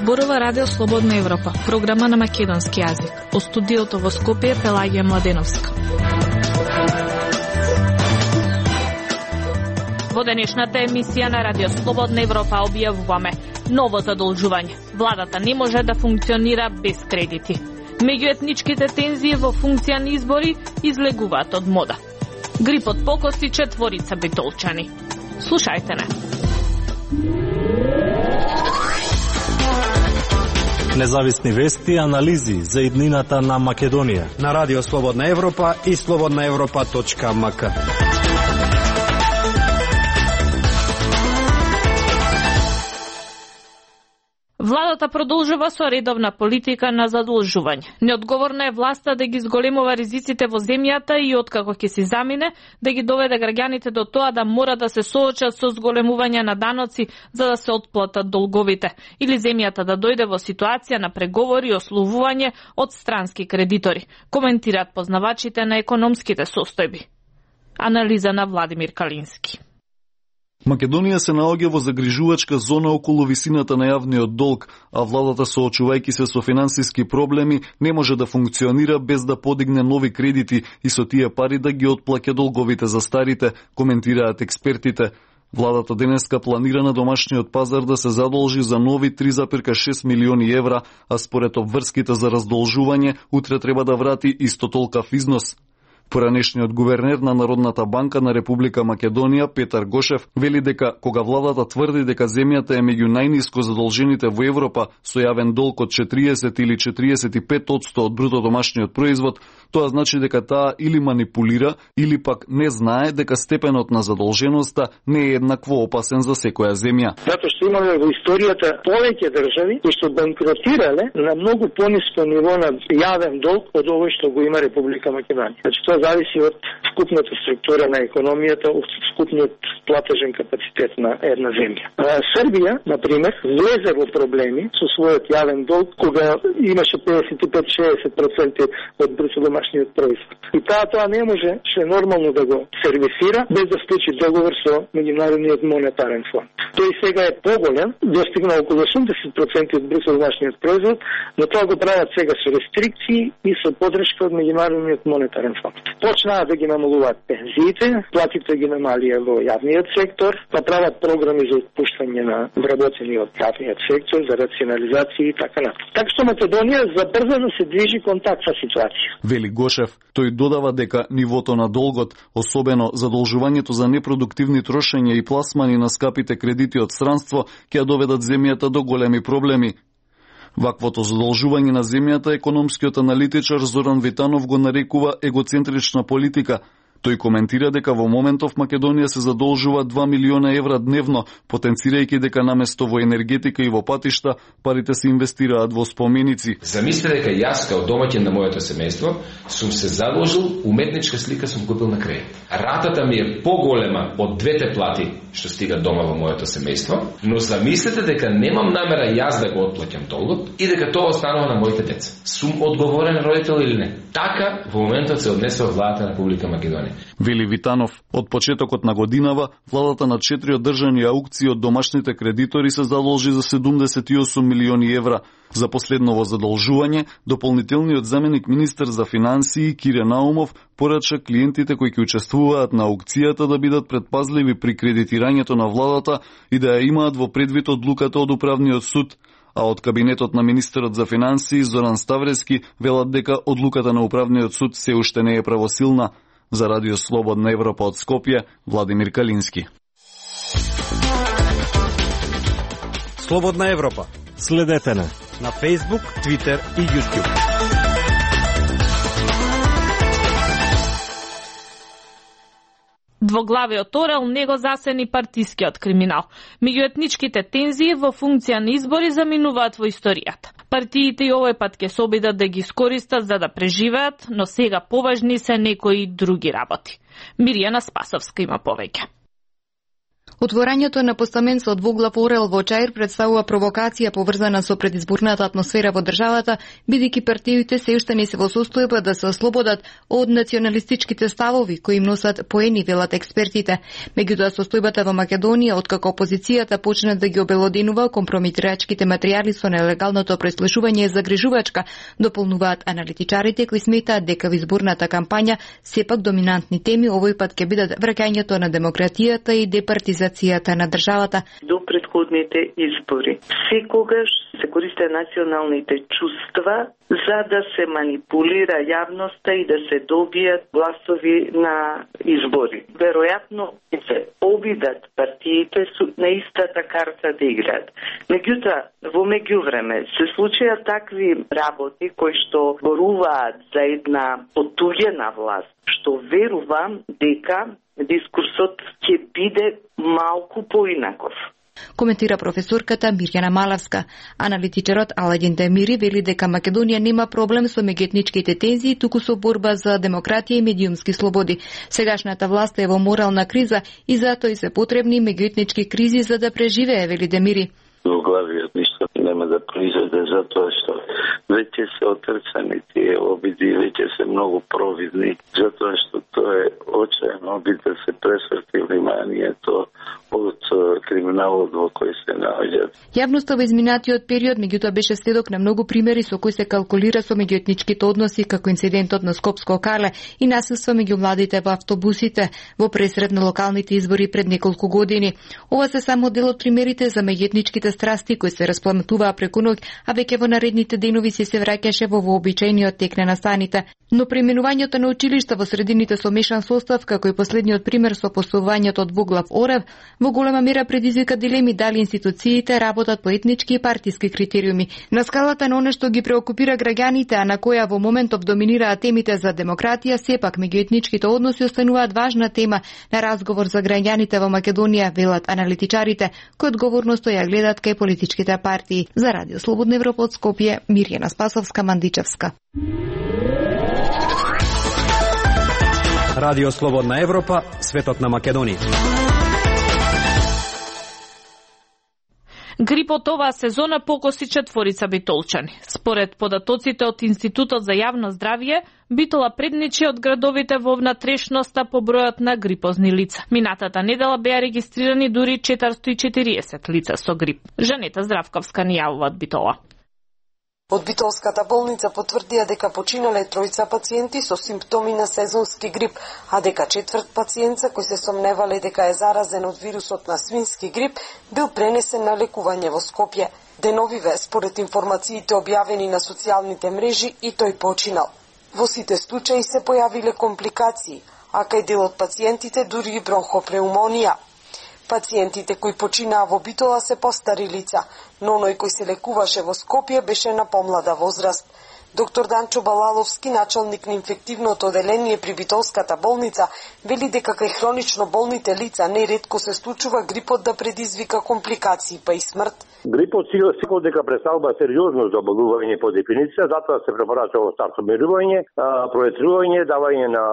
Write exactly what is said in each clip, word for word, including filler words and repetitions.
Зборува Радио Слободна Европа, програма на македонски јазик. Во студиото во Скопје Пелагија Младеновска. Во денешната емисија на Радио Слободна Европа објавуваме ново задолжување. Владата не може да функционира без кредити. Меѓуетничките тензии во функција на избори излегуваат од мода. Грипот покоси четворица битолчани. Слушајте не. Независни вести и анализи за иднината на Македонија на Радио Слободна Европа и слободна европа точка ем ка. Владата продолжува со редовна политика на задолжување. Неодговорна е власта да ги зголемува ризиците во земјата и откако ќе се замине, да ги доведе граѓаните до тоа да мора да се соочат со зголемување на даноци за да се отплатат долговите, или земјата да дојде во ситуација на преговори и ословување од странски кредитори, коментираат познавачите на економските состојби. Анализа на Владимир Калински. Македонија се наоѓа во загрижувачка зона околу висината на јавниот долг, а владата, соочувајќи се со финансиски проблеми, не може да функционира без да подигне нови кредити и со тие пари да ги отплаќа долговите за старите, коментираат експертите. Владата денеска планира на домашниот пазар да се задолжи за нови три зарез и шест милиони евра, а според обврските за раздолжување, утре треба да врати исто толкав износ. Поранешниот гувернер на Народната банка на Република Македонија, Петар Гошев, вели дека кога владата тврди дека земјата е меѓу најниско задолжените во Европа со јавен долг од четириесет или четириесет и пет одсто од бруто домашниот производ, тоа значи дека таа или манипулира, или пак не знае дека степенот на задолженоста не е еднакво опасен за секоја земја. Затоа што имаме во историјата повеќе држави кои што банкротирале на многу пониско ниво на јавен долг од овој што го има Република Македонија. Значи тоа зависи од вкупната структура на економијата, од вкупниот платежен капацитет на една земја. Србија, например, влезе во проблеми со својот јавен долг кога имаше педесет и пет до шеесет проценти од бруто домашниот производ. И таа тоа не можеше нормално да го сервисира без да склучи договор со Меѓународниот монетарен фонд. Тој сега е поголем, достигна околу осумдесет проценти од бруто домашниот производ, но тоа го прават сега со рестрикции и со подршка од Меѓународниот монетарен фонд. Почнаа да ги намалуваат пензиите, платите ги намалија во јавниот сектор, направат програми за отпуштање на вработени од јавниот сектор, за рационализација и така натаму. Така што Македонија забрзано се движи кон таква ситуација. Вели Гошев, тој додава дека нивото на долгот, особено задолжувањето за непродуктивни трошења и пласмани на скапите кредити од странство, ќе доведат земјата до големи проблеми. Ваквото задолжување на земјата економскиот аналитичар Зоран Витанов го нарекува егоцентрична политика. Тој коментира дека во моментов Македонија се задолжува два милиона евра дневно, потенцирајќи дека наместо во енергетика и во патишта, парите се инвестираат во споменици. Замислете дека јас као домаќин на моето семејство сум се задолжил, уметничка слика сум купил на кредит. Ратата ми е поголема од двете плати што стигат дома во моето семејство, но замислете дека немам намера јас да го отплаќам долгот и дека тоа останува на моите деца. Сум одговорен родител или не? Така во моментот се однесува владата на Република Македонија. Вели Витанов, од почетокот на годинава, владата на четири одржани аукции од домашните кредитори се задолжи за седумдесет и осум милиони евра. За последново задолжување, дополнителниот заменик министер за финансии Кире Наумов порача клиентите кои ќе учествуваат на аукцијата да бидат предпазливи при кредитирањето на владата и да ја имаат во предвид одлуката од управниот суд. А од кабинетот на министерот за финансии Зоран Ставрески велат дека одлуката на управниот суд се уште не е правосилна. За Радио Слободна Европа од Скопје, Владимир Калински. Слободна Европа. Следете на на Facebook, Twitter и YouTube. Двоглавиот орел не го засени партискиот криминал. Меѓуетничките тензии во функција на избори заминуваат во историјата. Партиите и овој пат ќе се обидат да ги искористат за да преживеат, но сега поважни се некои други работи. Мирјана Спасовска има повеќе. Отворањето на постамент со двуглав орел во Чаир представува провокација поврзана со предизборната атмосфера во државата, бидејќи партиите се уште не се во состојба да се ослободат од националистичките ставови кои им носат поени, велат експертите. Меѓутоа состојбата во Македонија, откако опозицијата почна да ги обелоденува компромитирачките материјали со нелегалното преслушување, е загрижувачка, дополнуваат аналитичарите кои сметаат дека во изборната кампања сепак доминантни теми овој пат ќе бидат враќањето на демократијата и департизацијата на државата. До предходните избори секогаш се користе националните чувства за да се манипулира јавноста и да се добијат гласови на избори. Веројатно се обидат партиите на истата карта да играат. Меѓутоа, во меѓувреме се случија такви работи кои што зборуваат за една потуѓена власт, што верувам дека дискурсот ќе биде малку поинаков. Коментира професорката Мирјана Малавска. Аналитичарот Аладин Демири вели дека Македонија нема проблем со меѓуетничките тензии, туку со борба за демократија и медиумски слободи. Сегашната власт е во морална криза и затоа и се потребни меѓуетнички кризи за да преживее, вели Демири. Главиот ништо нема да произведе затоа што веќе се отрцани тие обиди, веќе се многу провидни, затоа што тоа е очаен обид да се пресврти вниманието од криминалот во кој се наоѓаат. Јавноста во изминатиот период меѓутоа беше сведок на многу примери со кои се калкулира со меѓуетничките односи, како инцидентот на Скопско Карле и насилство меѓу младите во автобусите во пресред на локалните избори пред неколку години. Ова се само дел од примерите за меѓуетничките страсти кои се распламтуваа преку ноќ, а веќе во наредните денови се се враќаше во вообичаениот тек на настаните. Но преименувањето на училишта во средините со мешан состав, како и последниот пример со поставувањето од двуглав орел, во голема мера предизвика дилеми дали институциите работат по етнички и партиски критериуми. На скалата на оно што ги преокупира граѓаните, а на која во моментов доминираат темите за демократија, сепак меѓуетничките односи остануваат важна тема на разговор за граѓаните во Македонија, велат аналитичарите, кои одговорно стоја гледат кај политичките партии. За Радио Слободна Европа од Скопје, Мирјана Спасовска, Мандичевска. Радио Слободна Европа, светот на Македонија. Грипот оваа сезона покоси четворица битолчани. Според податоците од Институтот за јавно здравје, Битола предничи од градовите во внатрешноста по бројот на грипозни лица. Минатата недела беа регистрирани дури четиристотини и четириесет лица со грип. Жанета Здравковска ни јавува од Битола. Од Битолската болница потврдија дека починале тројца пациенти со симптоми на сезонски грип, а дека четврт пациентца кој се сомневале дека е заразен од вирусот на свински грип бил пренесен на лекување во Скопје. Деновиве, според информациите објавени на социјалните мрежи, и тој починал. Во сите случаи се појавиле компликации, а кај дел од пациентите дури и бронхопнеумонија. Пациентите кои починаа во Битола се постари лица, но оној кој се лекуваше во Скопје беше на помлада возраст. Доктор Данчо Балаловски, началник на инфективното оделение при Битолската болница, вели дека кај хронично болните лица неретко се случува грипот да предизвика компликации па и смрт. Грипот секој дека представува сериозно заболување по дефиниција, затоа се препорачува стартомирување, проветрување, давање на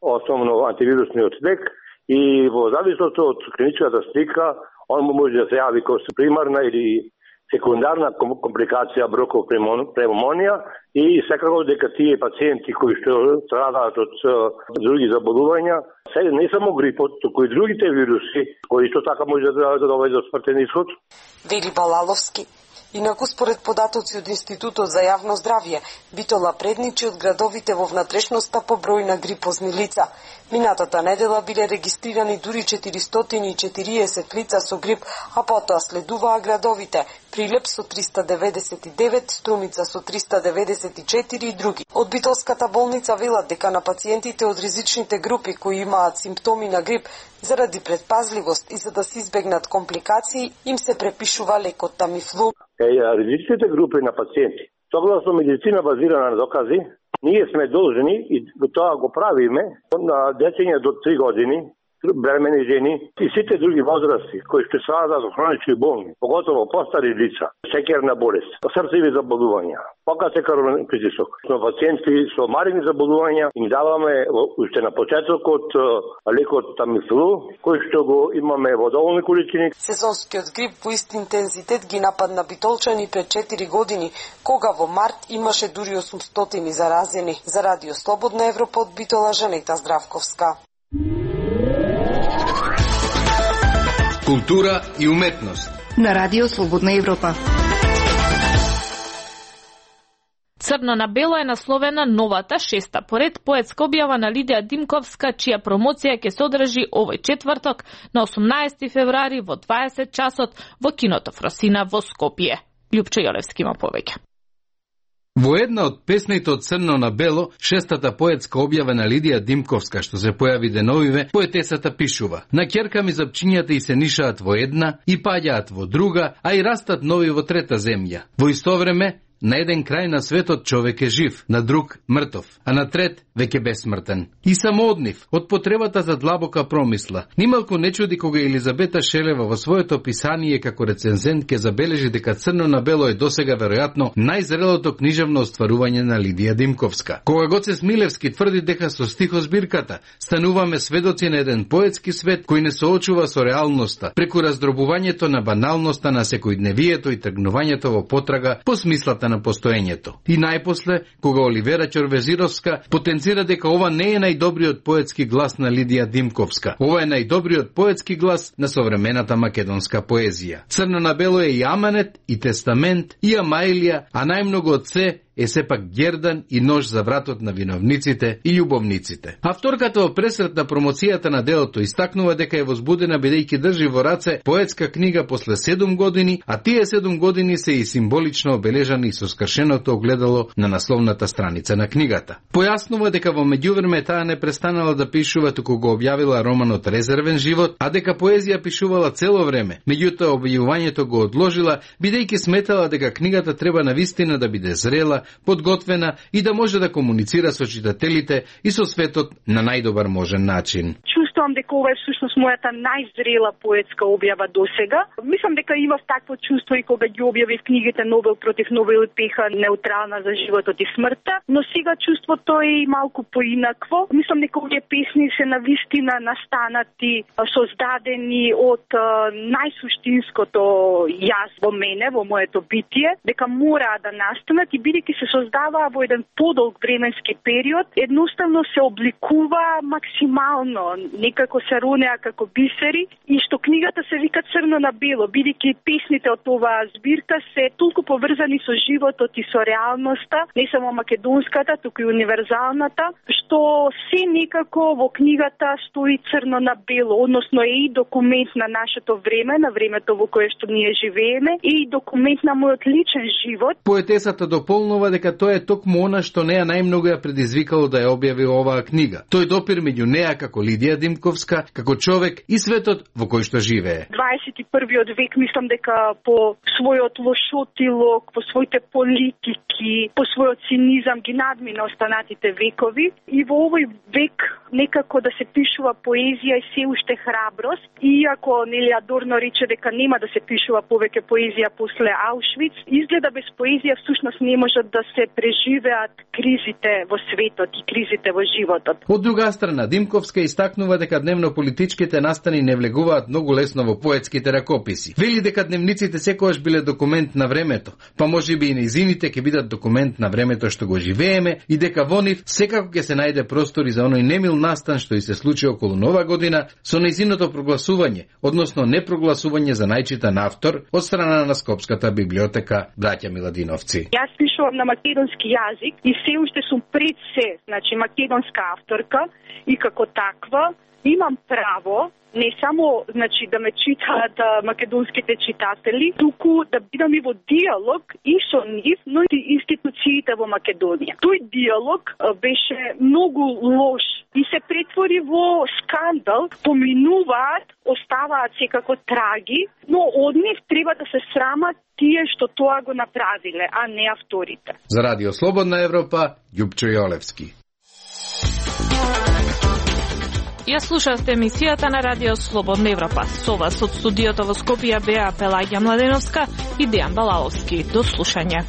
основно антивирусниот лек и во зависност од клиничката слика, он може да се јави како примарна или секундарна компликација бронхопнеумонија и секако дека тие пациенти кои што страдаат од други заболувања, се не само грипот, туку и другите вируси кои што така може да доведат до смртен исход. Вели Балаловски. Инаку, според податоци од Институтот за јавно здравје, Битола предничи од градовите во внатрешноста по број на грипозни лица. Минатата недела биле регистрирани дури четиристотини и четириесет лица со грип, а потоа следуваа градовите Прилеп со триста деветдесет и девет, Струмица со триста деветдесет и четири и други. Од Битолската болница велат дека на пациентите од ризичните групи кои имаат симптоми на грип, заради предпазливост и за да се избегнат компликации, им се препишува лекот Тамифлу. Ризичните групи на пациенти, согласно медицина базирана на докази, ние сме должни, и тоа го правиме, на дечење до три години, бремени жени и сите други возрасти кои што страдат од хронични болни, поготово постари лица, секерна болест, срцеви заболувања, покате крвен притисок. Но пациенти со маригни заболувања им даваме уште на почетокот лекот Тамифлу, кој што го имаме во доволни количини. Сезонскиот грип во ист интензитет ги нападна битолчани пред четири години, кога во март имаше дури осумстотини заразени. За Радио Слободна Европа од Битола, Жанета Здравковска. Култура и уметност на Радио Слободна Европа. Црно на бело е насловена новата шеста поред поетска објава на Лидија Димковска, чија промоција ќе се одржи овој четврток на осумнаесети февруари во дваесет часот во киното Фросина во Скопје. Љупчо Јолевски има повеќе. Во една од песните од Црно на бело, шестата поетска објава на Лидија Димковска, што се појави деновиве, поетесата пишува: на ќерка ми запчињата и се нишаат во една, и паѓаат во друга, а и растат нови во трета земја. Во исто време, на еден крај на светот човек е жив, на друг мртов, а на трет веќе бесмртен. И само од нив, од потребата за длабока промисла. Нималку не чуди кога Елизабета Шелева во своето писание како рецензент ке забележи дека Црно на бело е досега веројатно најзрелото книжевно остварување на Лидија Димковска. Кога Гоце Смилевски тврди дека со стихозбирката стануваме сведоци на еден поетски свет кој не соочува со реалноста, преку раздробувањето на баналноста на секојдневието и тргнувањето во потрага по смислата на постоењето. И најпосле, кога Оливера Ќорвезировска потенцира дека ова не е најдобриот поетски глас на Лидија Димковска, ова е најдобриот поетски глас на современата македонска поезија. Црно на бело е и аманет, и тестамент, и амаилија, а најмногу од се е сепак гердан и нож за вратот на виновниците и љубовниците. Авторката во пресрет на промоцијата на делото истакнува дека е возбудена бидејќи држи во раце поетска книга после седум години, а тие седум години се и символично обележани со скршеното огледало на насловната страница на книгата. Појаснува дека во меѓувреме таа не престанала да пишува туку го објавила романот Резервен живот, а дека поезија пишувала цело време. Меѓутоа објавувањето го одложила бидејќи сметала дека книгата треба навистина да биде зрела, подготвена и да може да комуницира со читателите и со светот на најдобар можен начин. Чувствувам дека ова е всушност мојата најзрела поетска објава досега. Мислам дека имав такво чувство и кога ги објавив книгите Нобел против Нобел и Пеха неутрална за животот и смртта, но сега чувството е и малку поинакво. Мислам дека овие песни се навистина настанати, создадени од најсуштинското јас во мене, во моето битие, дека мора да настанат и бидејќи се создаваа во еден подолг временски период, едноставно се обликува максимално, некако се ронеа како бисери, и што книгата се вика Црно на бело, бидејќи песните од оваа збирка се толку поврзани со животот и со реалноста, не само македонската, туку и универзалната, што се некако во книгата стои црно на бело, односно е и документ на нашето време, на времето во кое што ние живееме, и документ на мојот личен живот. Поетесата дополнува дека тоа е токму она што неа најмногу ја предизвикало да ја објави оваа книга. Тој допир меѓу неа како Лидија Димковска, како човек и светот во кој што живее. дваесет и првиот век мислам дека по својот лошотилок, по своите политики, по својот цинизам ги надмина останатите векови, и во овој век некако да се пишува поезија и се уште храброст, иако Нели Адорно рече дека нема да се пишува повеќе поезија после Аушвиц, изгледа без поезија всушност не можат да се преживеат кризите во светот и кризите во животот. Од друга страна, Димковска истакнува дека дневно-политичките настани не влегуваат многу лесно во поетските ракописи. Вели дека дневниците секогаш биле документ на времето, па можеби и нејзините ќе бидат документ на времето што го живееме, и дека во нив секако ќе се најде простор и за оној немил настан што и се случи околу Нова година со нејзиното прогласување, односно непрогласување за најчитан автор од страна на Скопската библиотека Браќа Миладиновци. Јас пишувам на македонски јазик и се уште сум пред се, значи македонска авторка, и како таква имам право не само значи да ме читаат македонските читатели, туку да бидам и во диалог и со нив, но и институциите во Македонија. Тој диалог беше многу лош и се претвори во скандал, поминуваат, оставаат секако траги, но од нив треба да се срамат тие што тоа го направиле, а не авторите. За Радио Слободна Европа, Љупчо Јолевски. Ја слушавте емисијата на Радио Слободна Европа. Со вас од студиото во Скопје беа Пелагија Младеновска и Дејан Балаловски. До слушање.